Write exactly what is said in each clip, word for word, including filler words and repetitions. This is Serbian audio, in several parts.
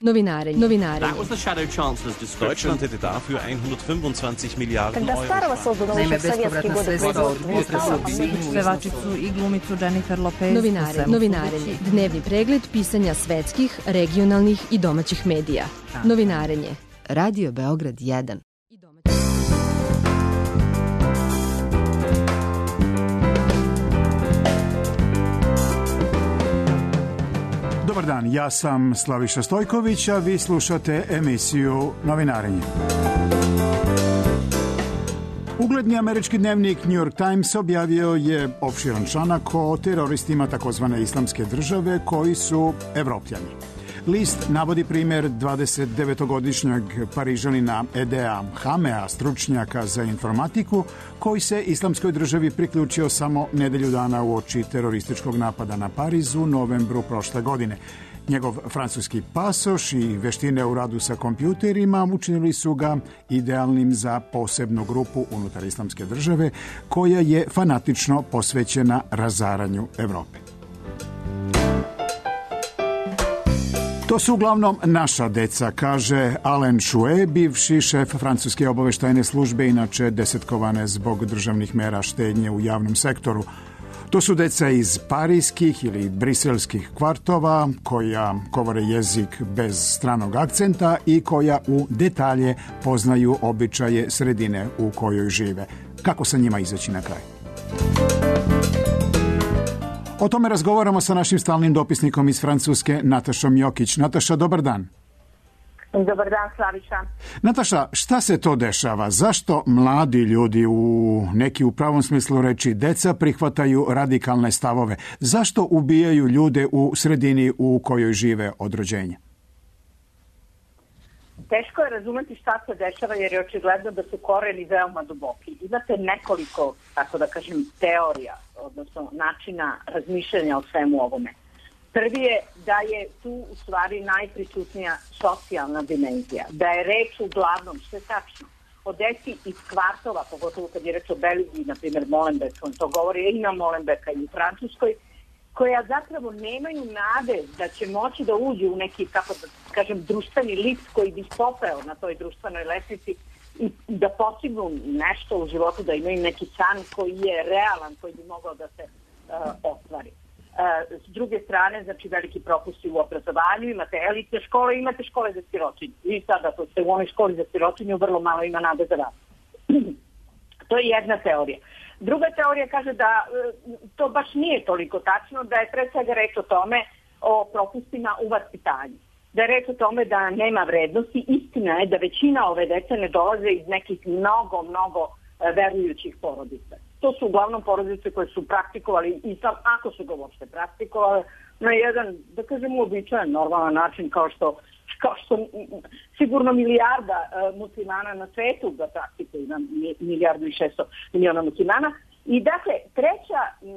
Novinarenje. Novinarenje. That was the shadow chancellor's description. Deutschland hätte dafür hundertfünfundzwanzig Milliarden Когда Euro. Старого создано еще в советские годы производство. Pevačicu i glumicu Jennifer Lopez. Novinarenje. Novinarenje. Dnevni pregled pisanja svetskih, regionalnih i domaćih medija. Novinarenje. Radio Beograd jedan. Dobar dan, ja sam Slaviša Stojković, a vi slušate emisiju Novinarenje. Ugledni američki dnevnik New York Times objavio je opširan članak o teroristima takozvane islamske države koji su Evropljani. List navodi primjer dvadesetdevetogodišnjeg Parižanina Edea Hamea, stručnjaka za informatiku, koji se islamskoj državi priključio samo nedelju dana uoči terorističkog napada na Pariz u novembru prošle godine. Njegov francuski pasoš i veštine u radu sa kompjuterima učinili su ga idealnim za posebnu grupu unutar islamske države koja je fanatično posvećena razaranju Evrope. To su uglavnom naša deca, kaže Alain Chouet, bivši šef francuske obaveštajne službe, inače desetkovane zbog državnih mera štednje u javnom sektoru. To su deca iz parijskih ili briselskih kvartova, koja govore jezik bez stranog akcenta i koja u detalje poznaju običaje sredine u kojoj žive. Kako sa njima izaći na kraj? O tome razgovaramo sa našim stalnim dopisnikom iz Francuske, Natašom Jokić. Nataša, dobar dan. Dobar dan, Slaviša. Nataša, šta se to dešava? Zašto mladi ljudi, u neki u pravom smislu reči deca, prihvataju radikalne stavove? Zašto ubijaju ljude u sredini u kojoj žive od rođenja? Teško je razumeti šta se dešava jer je očigledno da su koreni veoma duboki. Imate nekoliko, tako da kažem, teorija, odnosno načina razmišljanja o svemu ovome. Prvi je da je tu u stvari najprisutnija socijalna dimenzija, da je reč uglavnom, što je tačno, o deci iz kvartova, pogotovo kad je reč o Belgiji, na primjer Molenbeek, on to govori i na Molenbeeka i u Francuskoj, koja zapravo nemaju nade da će moći da uđu u neki, kako da kažem, društveni lift koji bi popeo na toj društvenoj lestvici i da postignu nešto u životu, da imaju neki san koji je realan, koji bi mogao da se uh, ostvari. Uh, s druge strane, znači veliki propusti u obrazovanju, imate elitne škole, imate škole za sirotinju. I sada to se u onoj školi za sirotinju vrlo malo ima nade za rad. To je jedna teorija. Druga teorija kaže da to baš nije toliko tačno, da je pre svega reč o tome, o propustima u vaspitanju. Da je reč o tome da nema vrednosti. Istina je da većina ove dece ne dolaze iz nekih mnogo, mnogo verujućih porodica. To su uglavnom porodice koje su praktikovali islam, ako su ga uopšte praktikovali, na jedan, da kažem, uobičajen, normalan način, kao što kao što sigurno milijarda uh, muslimana na svetu ga praktikuju, na milijardu i šesto miliona muslimana. I dakle, treća, uh,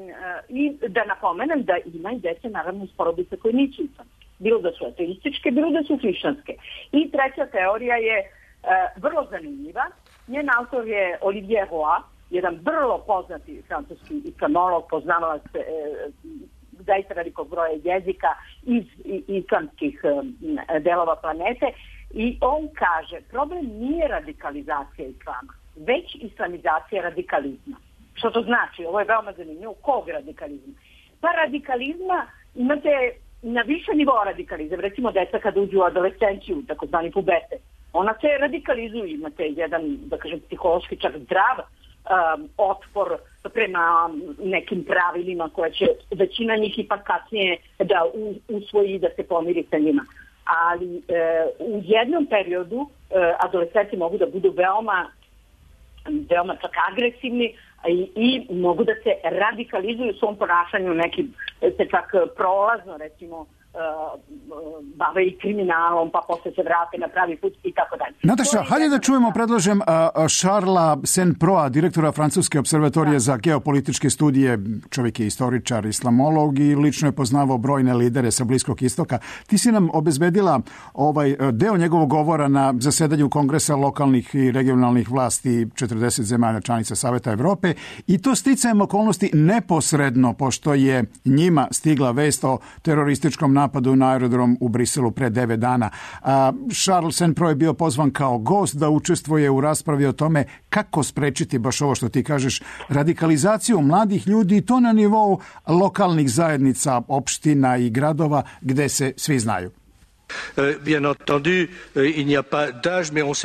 i da napomenem da ima i dece, naravno, iz porodice koje nisu islamske. Bilo da su ateističke, bilo da su hrišćanske. I treća teorija je uh, vrlo zanimljiva. Njen autor je Olivier Roy, jedan vrlo poznati francuski islamolog, poznavalac uh, zaista velikog broja jezika iz islamskih delova planete i on kaže problem nije radikalizacija islama, već islamizacija radikalizma. Što to znači? Ovo je veoma zanimljivo. Kog radikalizma? Pa radikalizma imate na više nivoa radikalizam. Recimo deca kada uđu u adolescenciju, takozvani pubete, ona se radikalizuju. Imate jedan, da kažem, psihološki čak zdrav Um, otpor prema nekim pravilima koje će većina njih ipak kasnije da usvoji, da se pomiri sa njima. Ali e, u jednom periodu e, adolescenti mogu da budu veoma, veoma čak agresivni i, i mogu da se radikalizuju u svom ponašanju, neki se čak prolazno, recimo, bave i kriminalom, pa posle se vrate na pravi put i tako dalje. Nataša, hajde da čujemo, predlažem, Charlesa Saint-Proa, direktora Francuske observatorije da. za geopolitičke studije. Čovjek je istoričar, islamolog i lično je poznavao brojne lidere sa Bliskog istoka. Ti si nam obezbedila ovaj deo njegovog govora na zasedanju Kongresa lokalnih i regionalnih vlasti četrdeset zemalja članica Saveta Evrope i to sticajem okolnosti neposredno, pošto je njima stigla vest o terorističkom napadu na aerodrom u Briselu pre devet dana. A, Charles Saint-Pro je bio pozvan kao gost da učestvuje u raspravi o tome kako sprečiti baš ovo što ti kažeš, radikalizaciju mladih ljudi i to na nivou lokalnih zajednica, opština i gradova gde se svi znaju.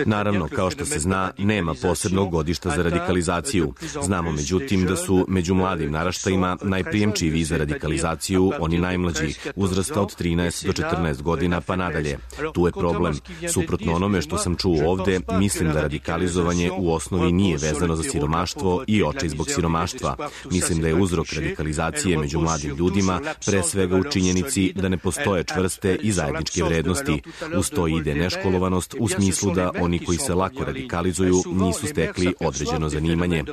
Naravno, kao što se zna, nema posebnog godišta za radikalizaciju. Znamo međutim da su među mladim naraštajima najprijemčiviji za radikalizaciju oni najmlađi, uzrasta od trinaest do četrnaest godina pa nadalje. Tu je problem. Suprotno onome što sam čuo ovde, mislim da radikalizovanje u osnovi nije vezano za siromaštvo i očaj zbog siromaštva. Mislim da je uzrok radikalizacije među mladim ljudima pre svega u činjenici da ne postoje čvrste i zajedničke vrednosti. Uz to ide neškolovanost u smislu da oni koji se lako radikalizuju nisu stekli određeno zanimanje.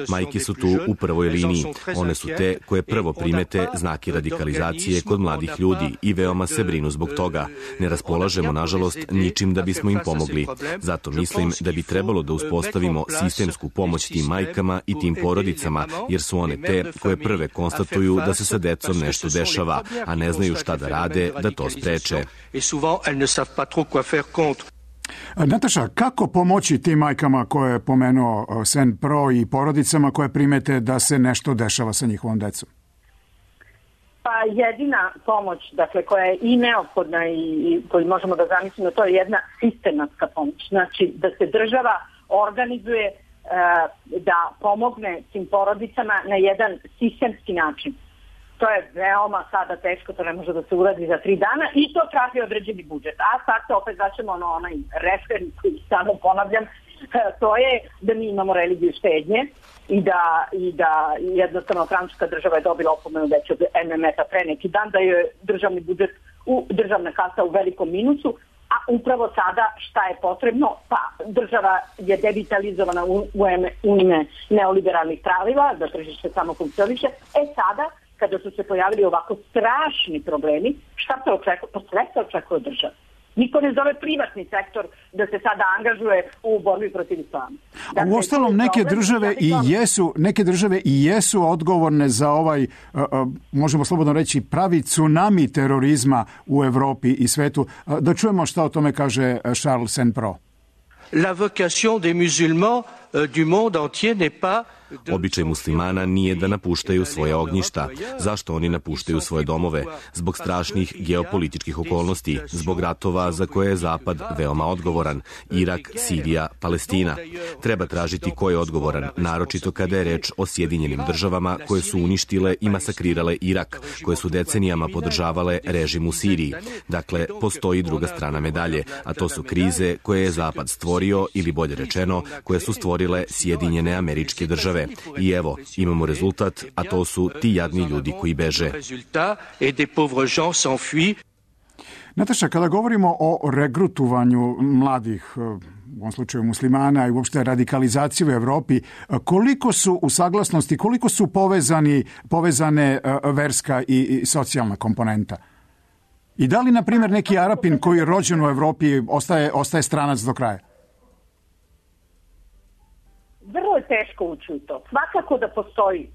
Majke su tu u prvoj liniji. One su te koje prvo primete znake radikalizacije kod mladih ljudi i veoma se brinu zbog toga. Ne raspolažemo, nažalost, ničim da bismo im pomogli. Zato mislim da bi trebalo da uspostavimo sistemsku pomoć tim majkama i tim porodicama, jer su one te koje prve konstatuju da se sa decom nešto dešava, a ne znaju šta da rade da to spreče. Nataša, kako pomoći tim majkama koje je pomenuo Saint-Pro i porodicama koje primete da se nešto dešava sa njihovom decom? Pa jedina pomoć, dakle, koja je i neophodna i koju možemo da zamislimo, to je jedna sistematska pomoć. Znači, da se država organizuje e, da pomogne tim porodicama na jedan sistemski način. To je veoma sada teško, to ne može da se uradi za tri dana i to traži određeni budžet. A sad se opet začemo na onaj referent koji samo ponavljam, to je da mi imamo religiju štednje i da, i da jednostavno francuska država je dobila opomenu već od M M F-a pre neki dan, da je državni budžet, u, državna kasa u velikom minusu, a upravo sada šta je potrebno? Pa država je devitalizovana u, u ime neoliberalnih pravila, da tržište samo funkcioniše. E sada, kada su se pojavili ovako strašni problemi, šta se očekuje? Pa sve se očekuje od države. Niko ne zove privatni sektor da se sada angažuje u borbi protiv islama. Dakle, u ostalom neke države i jesu, neke države i jesu odgovorne za ovaj, uh, uh, možemo slobodno reći, pravi tsunami terorizma u Evropi i svetu. Uh, da čujemo šta o tome kaže Charles Saint-Pro. La vocation des musulmans uh, du monde entier n'est pas. Običaj muslimana nije da napuštaju svoje ognjišta. Zašto oni napuštaju svoje domove? Zbog strašnih geopolitičkih okolnosti, zbog ratova za koje je Zapad veoma odgovoran. Irak, Sirija, Palestina. Treba tražiti ko je odgovoran, naročito kada je reč o Sjedinjenim državama koje su uništile i masakrirale Irak, koje su decenijama podržavale režim u Siriji. Dakle, postoji druga strana medalje, a to su krize koje je Zapad stvorio, ili bolje rečeno, koje su stvorile Sjedinjene Američke Države. I evo, imamo rezultat, a to su ti jadni ljudi koji beže. Nataša, kada govorimo o regrutovanju mladih, u ovom slučaju muslimana i uopšte radikalizaciju u Evropi, koliko su u saglasnosti, koliko su povezani, povezane verska i socijalna komponenta? I da li, na primjer, neki Arapin koji je rođen u Evropi ostaje, ostaje stranac do kraja? Vrlo je teško ući u to. Svakako da postoji e,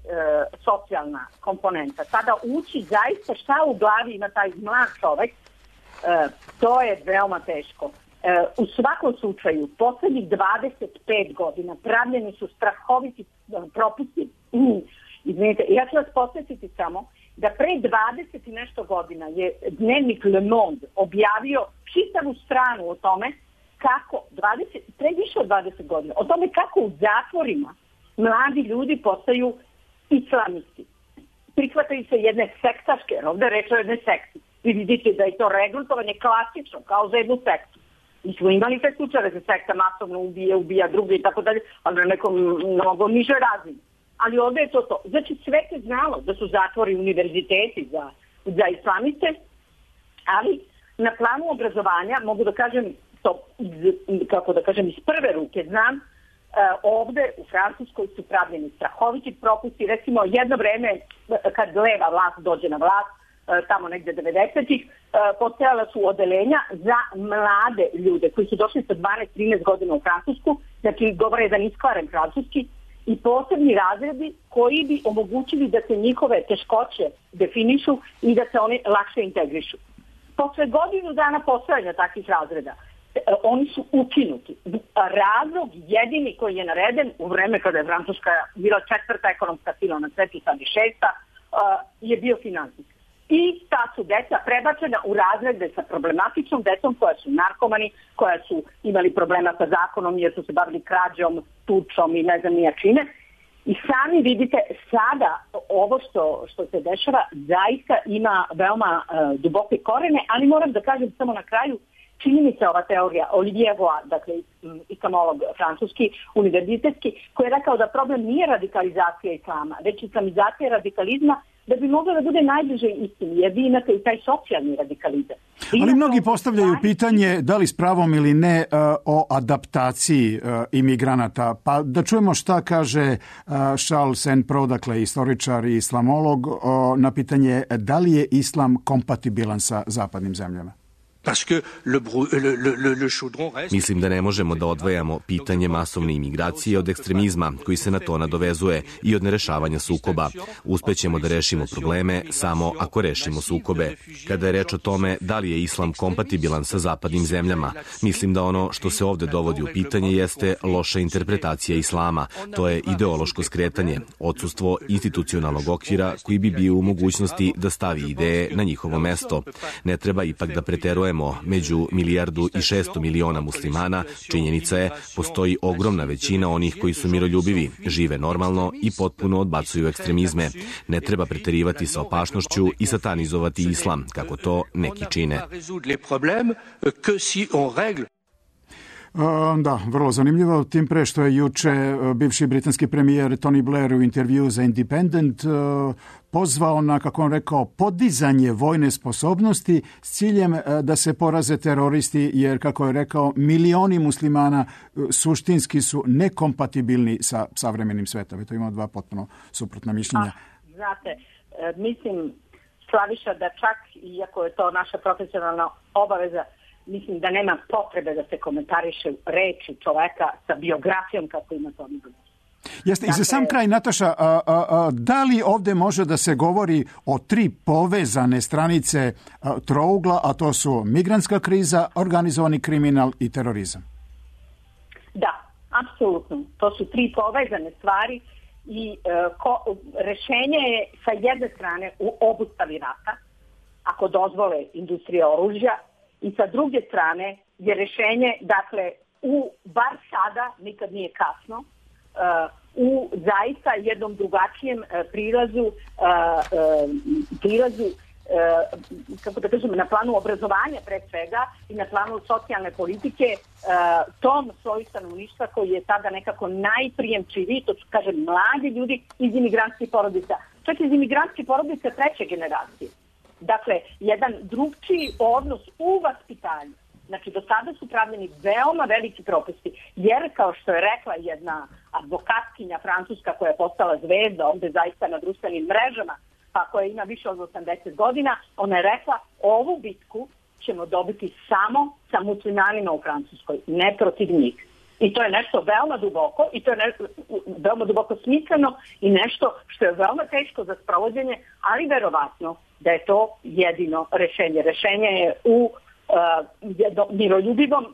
socijalna komponenta. Sada ući zaista šta u glavi ima taj mlad čovek, e, to je veoma teško. E, u svakom slučaju, poslednjih dvadeset pet godina pravljeni su strahoviti propusti. Mm, izvinite, ja ću vas posjetiti samo da pre dvadeset i nešto godina je dnevnik Le Monde objavio čitavu stranu o tome kako, dvadeset, pre više od dvadeset godina, o tome kako u zatvorima mladi ljudi postaju islamisti. Prihvataju se jedne sektaške, jer ovdje reč o jednoj sekti. Vi vidite da je to regrutovanje klasično, kao za jednu sektu. Mi smo imali te slučajeve da se sekta masovno ubije, ubija druge i tako dalje, ali na nekom mnogo nižoj razini. Ali ovdje je to to. Znači sve se znalo da su zatvori univerziteti za, za islamiste, ali na planu obrazovanja mogu da kažem to, kako da kažem, iz prve ruke znam, e, ovde u Francuskoj su pravljeni strahoviti propusti. Recimo, jedno vreme, kad leva vlast dođe na vlast, e, tamo negde devedesetih, e, postojala su odeljenja za mlade ljude koji su došli sa dvanaest trinaest godina u Francusku, znači govore jedan iskvaren francuski, i posebni razredi koji bi omogućili da se njihove teškoće definišu i da se oni lakše integrišu. Posle godinu dana postojanja takvih razreda, oni su ukinuti. Razlog jedini koji je nareden u vreme kada je Francuska bila četvrta ekonomska sila na svetu, sad i šesta, je bio finansijski. I ta su deca prebačena u razrede sa problematičnom decom koja su narkomani, koja su imali problema sa zakonom jer su se bavili krađom, tučom i ne znam nija čime. I sami vidite sada ovo što, što se dešava zaista ima veoma uh, duboke korene, ali moram da kažem samo na kraju, čini mi se ova teorija Olivier Roy, dakle islamolog francuski, univerzitetski, koji je rekao da problem nije radikalizacija islama, već islamizacija radikalizma, da bi mogla da bude najbliže istini, jer vi imate i taj socijalni radikalizam. Ali mnogi postavljaju pitanje, da li s pravom ili ne, o adaptaciji imigranata. Pa da čujemo šta kaže Charles Saint-Pro, dakle istoričar i islamolog, na pitanje da li je islam kompatibilan sa zapadnim zemljama. Mislim da ne možemo da odvajamo pitanje masovne imigracije od ekstremizma koji se na to nadovezuje i od nerešavanja sukoba. Uspećemo da rešimo probleme samo ako rešimo sukobe. Kada je reč o tome da li je islam kompatibilan sa zapadnim zemljama, mislim da ono što se ovde dovodi u pitanje jeste loša interpretacija islama. To je ideološko skretanje, odsustvo institucionalnog okvira koji bi bio u mogućnosti da stavi ideje na njihovo mesto. Ne treba ipak da preterujemo među milijardu i šesto miliona muslimana. Činjenica je, postoji ogromna većina onih koji su miroljubivi, žive normalno i potpuno odbacuju ekstremizme. Ne treba preterivati sa opašnošću i satanizovati islam, kako to neki čine. Da, vrlo zanimljivo, tim pre što je juče bivši britanski premijer Tony Blair u intervju za Independent pozvao na, kako on rekao, podizanje vojne sposobnosti s ciljem da se poraze teroristi, jer, kako je rekao, milioni muslimana suštinski su nekompatibilni sa savremenim svetom. To ima dva potpuno suprotna mišljenja. A, znate, mislim, Slaviša, da čak, iako je to naša profesionalna obaveza, mislim da nema potrebe da se komentariše reči čoveka sa biografijom kako ima to nigo. Jeste, dakle, i za sam kraj, Nataša, a, a, a, da li ovde može da se govori o tri povezane stranice a, trougla, a to su migrantska kriza, organizovani kriminal i terorizam? Da, apsolutno. To su tri povezane stvari i e, ko, rešenje je sa jedne strane u obustavi rata, ako dozvole industrije oružja, i sa druge strane je rešenje, dakle, u, bar sada, nikad nije kasno, uh, u zaista jednom drugačijem uh, prilazu, uh, uh, prilazu uh, kako da kažem, na planu obrazovanja pre svega i na planu socijalne politike, uh, tom svoju stanovništva koji je sada nekako najprijemčiviji, to su, kažem, mladi ljudi iz imigrantskih porodica, čak iz imigrantskih porodica treće generacije. Dakle, jedan drugčiji odnos u vaspitanju. Znači, do sada su pravljeni veoma veliki propusti, jer, kao što je rekla jedna advokatkinja francuska koja je postala zvezda ovde zaista na društvenim mrežama, pa koja ima više od osamdeset godina, ona je rekla, ovu bitku ćemo dobiti samo sa muslimanima u Francuskoj, ne protiv njih. I to je nešto veoma duboko, i to je nešto veoma duboko smisleno i nešto što je veoma teško za sprovođenje, ali verovatno da je to jedino rešenje. Rešenje je u uh, miroljubivom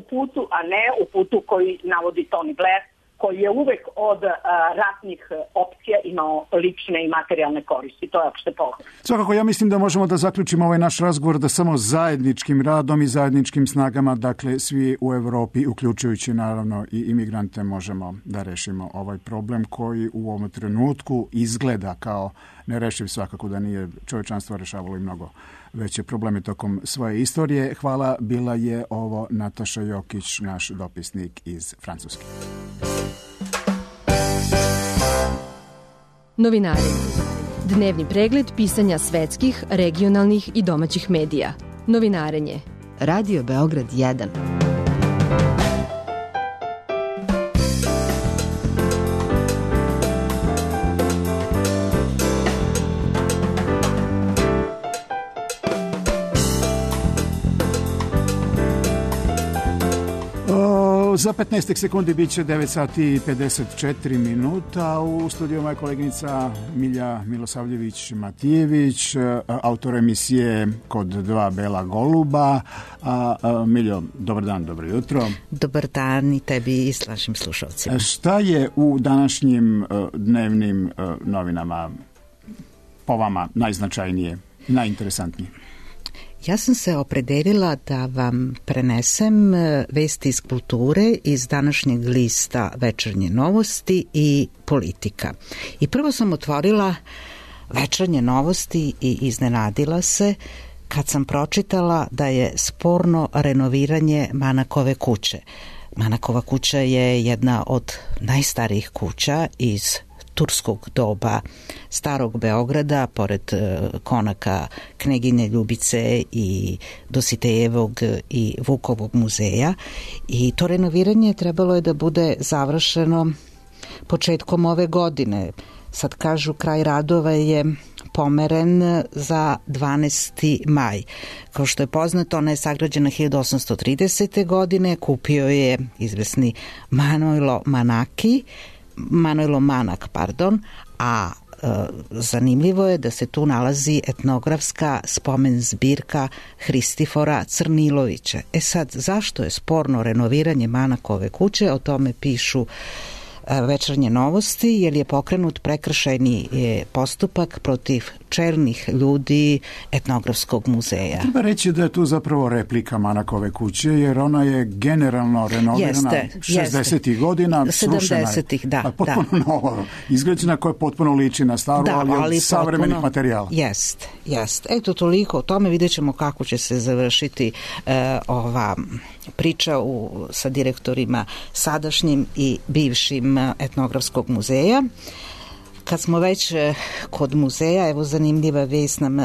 putu, a ne u putu koji navodi Tony Blair, koji je uvek od uh, ratnih opcija imao lične i materijalne koristi. To je opšte pogled. Svakako, ja mislim da možemo da zaključimo ovaj naš razgovor da samo zajedničkim radom i zajedničkim snagama, dakle svi u Evropi, uključujući naravno i imigrante, možemo da rešimo ovaj problem koji u ovom trenutku izgleda kao nerešiv, svakako da nije. Čovečanstvo rešavalo i mnogo veće probleme tokom svoje istorije. Hvala, bila je ovo Nataša Jokić, naš dopisnik iz Francuske. Novinarenje. Dnevni pregled pisanja svetskih, regionalnih i domaćih medija. Novinarenje. Radio Beograd jedan. Evo, za petnaest sekundi bit će devet sati i pedeset četiri minuta. U studiju moja koleginica Milja Milosavljević-Matijević, autor emisije Kod dva bela goluba. A, a, Miljo, dobar dan, dobro jutro. Dobar dan i tebi i našim slušalcima. Šta je u današnjim uh, dnevnim uh, novinama po vama najznačajnije, najinteresantnije? Ja sam se opredelila da vam prenesem vesti iz kulture iz današnjeg lista Večernje novosti i Politika. I prvo sam otvorila Večernje novosti i iznenadila se kad sam pročitala da je sporno renoviranje Manakove kuće. Manakova kuća je jedna od najstarijih kuća iz turskog doba starog Beograda, pored konaka Kneginje Ljubice i Dositejevog i Vukovog muzeja, i to renoviranje trebalo je da bude završeno početkom ove godine. Sad kažu kraj radova je pomeren za dvanaesti maj. Kao što je poznato, ona je sagrađena hiljadu osamsto tridesete. godine, kupio je izvesni Manojlo Manaki, Manojlo Manak, pardon, a e, zanimljivo je da se tu nalazi etnografska spomen zbirka Hristifora Crnilovića. E sad, zašto je sporno renoviranje Manakove kuće? O tome pišu Večernje novosti, jer je pokrenut prekršajni postupak protiv čelnih ljudi etnografskog muzeja. Treba reći da je tu zapravo replika Manakove kuće, jer ona je generalno renovirana šezdesetih godina, sedamdesetih, da, potpuno da. novo, izgrađena, koja potpuno liči na staru, da, ali, ali od savremenih potpuno, materijala. Jest, jest. Eto, toliko o tome, vidjet ćemo kako će se završiti e, ova priča u, sa direktorima sadašnjim i bivšim etnografskog muzeja. Kad smo već kod muzeja, evo zanimljiva vest nam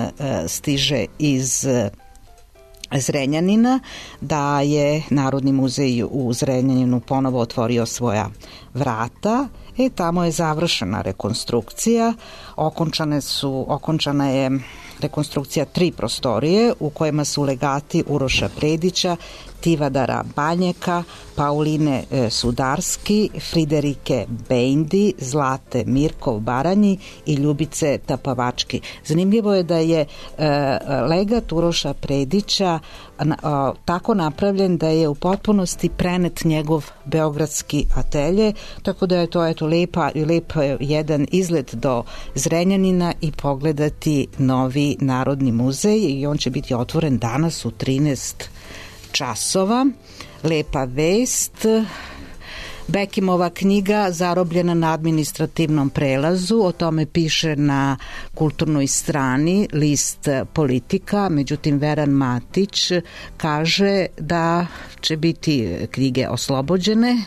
stiže iz Zrenjanina, da je Narodni muzej u Zrenjaninu ponovo otvorio svoja vrata. E, tamo je završena rekonstrukcija, okončane su, okončana je rekonstrukcija tri prostorije u kojima su legati Uroša Predića, Tivadara Banjeka, Pauline Sudarski, Friderike Bejndi, Zlate Mirkov Baranji i Ljubice Tapavački. Zanimljivo je da je e, legat Uroša Predića na, a, tako napravljen da je u potpunosti prenet njegov beogradski atelje, tako da je to eto lepa, lep jedan izlet do Zrenjanina i pogledati novi Narodni muzej, i on će biti otvoren danas u trinaest časova. Lepa vest. Bekimova knjiga Zarobljena na administrativnom prelazu, o tome piše na kulturnoj strani list Politika, međutim Veran Matić kaže da će biti knjige oslobođene.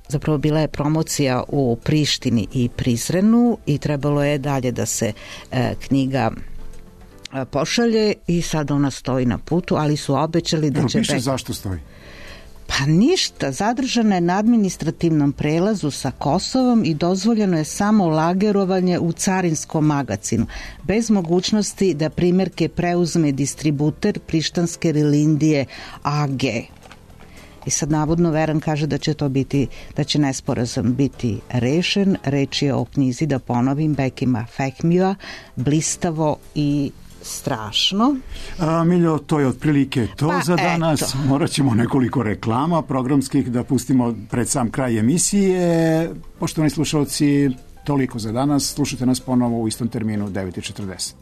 Zapravo bila je promocija u Prištini i Prizrenu i trebalo je dalje da se e, knjiga pošalje, i sad ona stoji na putu, ali su obećali da će... Piše zašto stoji? Pa ništa, zadržana je na administrativnom prelazu sa Kosovom i dozvoljeno je samo lagerovanje u carinskom magacinu, bez mogućnosti da primjerke preuzme distributer Prištanske Rilindije A G. I sad navodno Veran kaže da će to biti, da će nesporazum biti rešen. Reč je o knjizi, da ponovim, Bekima Fehmija, Blistavo i strašno. A, Miljo, to je otprilike to pa, za danas. Eto. Morat ćemo nekoliko reklama programskih da pustimo pred sam kraj emisije. Poštovani slušalci, toliko za danas. Slušajte nas ponovo u istom terminu devet i četrdeset.